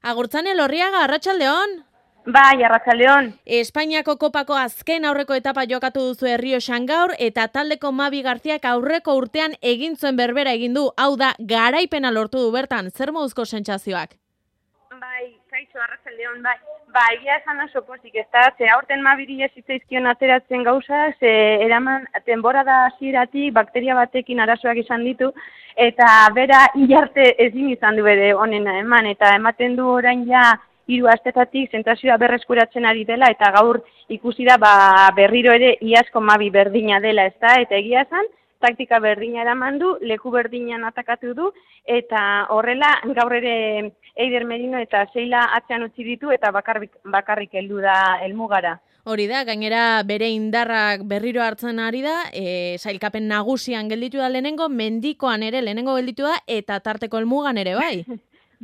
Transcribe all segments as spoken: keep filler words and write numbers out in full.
Agurtzane Lorriaga, arratsaldeon. Bai, arratsaldeon. Espainiako kopako azken aurreko etapa jokatu duzu Errioxan gaur eta taldeko Mavi Garziak aurreko urtean egin zuen berbera egin du. Hau da, garaipena lortu du bertan. Zer moduzko sentsazioak? Bai, kaixo, arratsaldeon, bai. Ba, egia esan oso pozik, ez da, ze aurten Maviri ez zitzaizkion ateratzen gauza, ze eraman temporada hasieratik bakteria batekin arazoak izan ditu, eta bera hilarte ezin izan du bere onena eman, eta ematen du orain ja hiru astetatik sentsazioa berreskuratzen ari dela, eta gaur ikusi da ba, berriro ere iazko Mavi berdina dela, ez da, eta egia esan, taktika berdina eraman du, leku berdinan atakatu du, eta horrela gaur ere Eider Merino eta Seila atzean utzi ditu, eta bakarrik, bakarrik heldu da helmugara. Hori da, gainera bere indarrak berriro hartzen ari da, e, sailkapen nagusian gelditu da lehenengo, mendikoan ere lehenengo gelditu da, eta tarteko helmugan ere bai.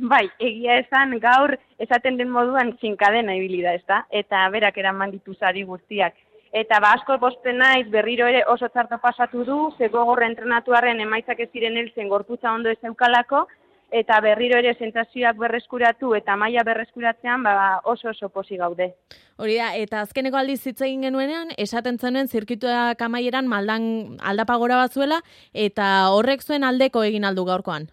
Bai, egia esan gaur esaten den moduan zinkadena ibili da, ezta? Eta berak eraman ditu sari guztiak. Eta ba asko pozten naiz berriro ere oso txarto pasatu du, ze gogorra entrenatuaren emaitzak ez ziren heltzen gorputza ondo ez zeukalako, eta berriro ere sentsazioak berreskuratu eta maila berreskuratzean ba oso oso posi gaude. Hori da, eta azkeneko aldiz hitz egin genuenean, esaten zenuen zirkuituak amaieran maldan aldapa gora batzuela, eta horrek zuen aldeko egin aldu gaurkoan.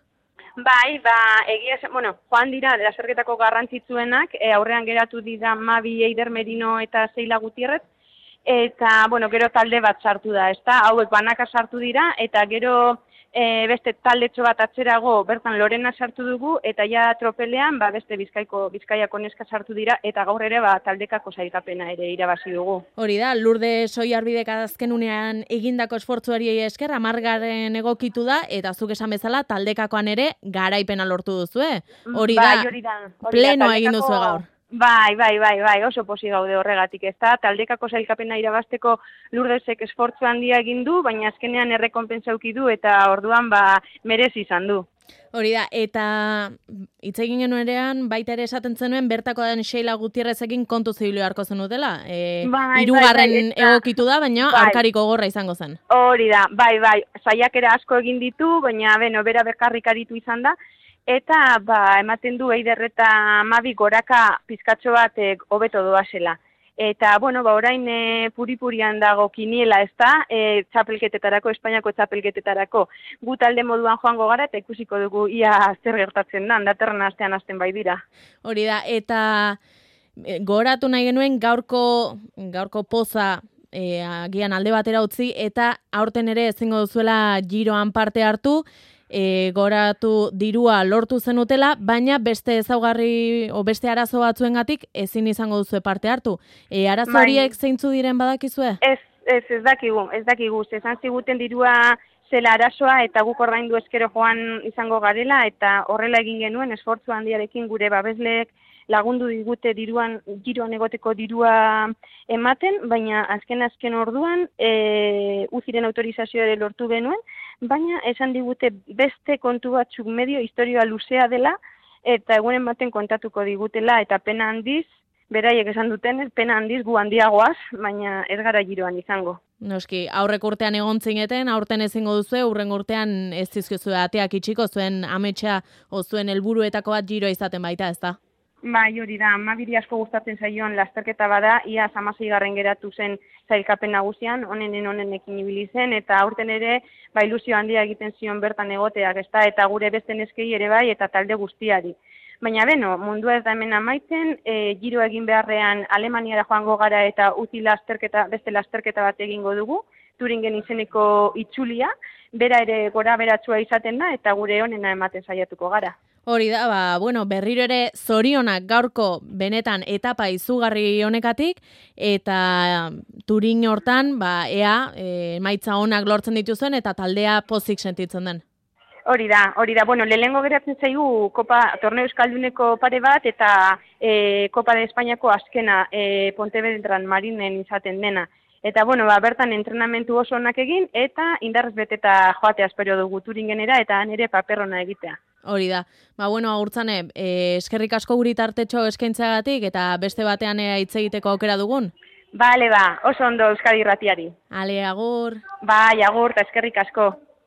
Bai, ba, egia esan, bueno, joan dira, lasterketako garrantzitsuenak, e, aurrean geratu dira Mavi, Eider Merino eta Seila Gutierrez, eta, bueno, gero talde bat sartu da, ezta? Hauek banaka sartu dira, eta gero e, beste taldetxo bat atzerago bertan Lorena sartu dugu, eta ja tropelean, ba, beste Bizkaiko, Bizkaiako neska sartu dira, eta gaur ere, ba, taldekako sailkapena ere irabazi dugu. Hori da, Lurde Soiarbidek azken unean egindako esfortzuari esker, amargaren egokitu da, eta zuk esan bezala, taldekakoan ere garaipena lortu duzu, eh? Hori da, bai, hori da, hori plenoa da, egin duzu gaur. Bai, bai, bai, bai, oso posi gaude horregatik, ez da, taldekako sailkapena irabazteko Lurdesek esfortzu handia egin du, baina azkenean errekonpensa eduki du eta orduan ba merezi izan du. Hori da, eta hitz egin genuenean baita ere esaten zenuen bertako den Seila Gutierrezekin kontu zibilu beharko zenutela. E, bai, hirugarren bai, bai, egokitu da, baina bai. Arkariko gorra izango zen. Hori da, bai, bai, saiakera asko egin ditu, baina beno, bera bekarrik aritu izan da, eta ba, ematen du Eider eta Mavi goraka pizkatxo bat hobeto doazela. Eta, bueno, ba, orain e, puri-purian dago kiniela, ez da, e, txapelketetarako, Espainiako txapelketetarako. Gu talde moduan joango gara eta ikusiko dugu ia zer gertatzen da, datorren astean hasten bai dira. Hori da, eta e, goratu nahi genuen gaurko, gaurko poza e, agian alde batera utzi, eta aurten ere ezingo duzuela Giroan parte hartu, E, goratu dirua lortu zenutela, baina beste ezaugarri o beste arazo batzuengatik ezin izango duzu parte hartu. E, arazo horiek zeintzu diren badakizue? Ez, ez, ez dakigu, ez dakigu. Esan ziguten dirua zela arazoa eta guk ordaindu eskero joan izango garela eta horrela egin genuen esfortzu handiarekin gure babesleek lagundu digute diruan, Giroan egoteko dirua ematen, baina azken-azken orduan e, uziren autorizazioa ere lortu genuen, baina esan digute beste kontu batzuk medio historioa luzea dela, eta egunen baten kontatuko digutela, eta pena handiz, beraiek esan duten, pena handiz gu handiagoaz, baina ez gara Giroan izango. Noski, aurrek urtean egon zineten, aurten ezingo duzu, urren urtean ez dizkizu ateak itxiko, zuen ametsa o zuen helburuetako bat Giroa izaten baita, ez da? Bai, hori da, Maviri asko gustatzen zaioan lasterketa bada, ia hamaseigarren geratu zen sailkapen nagusian, onenen onenekin ibili zen, eta aurten ere, ba, ilusio handia egiten zion bertan egoteak, ezta, eta gure beste neskei ere bai, eta talde guztiari. Baina beno, mundua ez da hemen amaitzen, e, Giro egin beharrean Alemaniara joango gara eta uzi lasterketa, beste lasterketa bat egingo dugu, Turingen izeneko itzulia, bera ere gora beratsua izaten da, eta gure onena ematen saiatuko gara. Hori da, ba, bueno, berriro ere zorionak gaurko benetan etapa izugarri honekatik, eta Turin hortan, ba, ea, e, emaitza onak lortzen dituzuen, eta taldea pozik sentitzen den. Hori da, hori da, bueno, lehenengo geratzen zaigu Kopa, Torneo Euskalduneko pare bat, eta e, Kopa de Espainiako azkena e, Pontevedran Marinen izaten dena. Eta, bueno, ba, bertan entrenamentu oso onak egin, eta indarrez beteta joatea espero dugu Turingenera, eta han ere paperrona egitea. Hori da. Ba, bueno, agurtzane, eh, eskerrik asko guri tartetxo eskaintzagatik eta beste batean hitz egiteko aukera dugun. Bale, ba, oso ondo Euskadi Irratiari. Ale, agur. Bai, agur, eta eskerrik asko.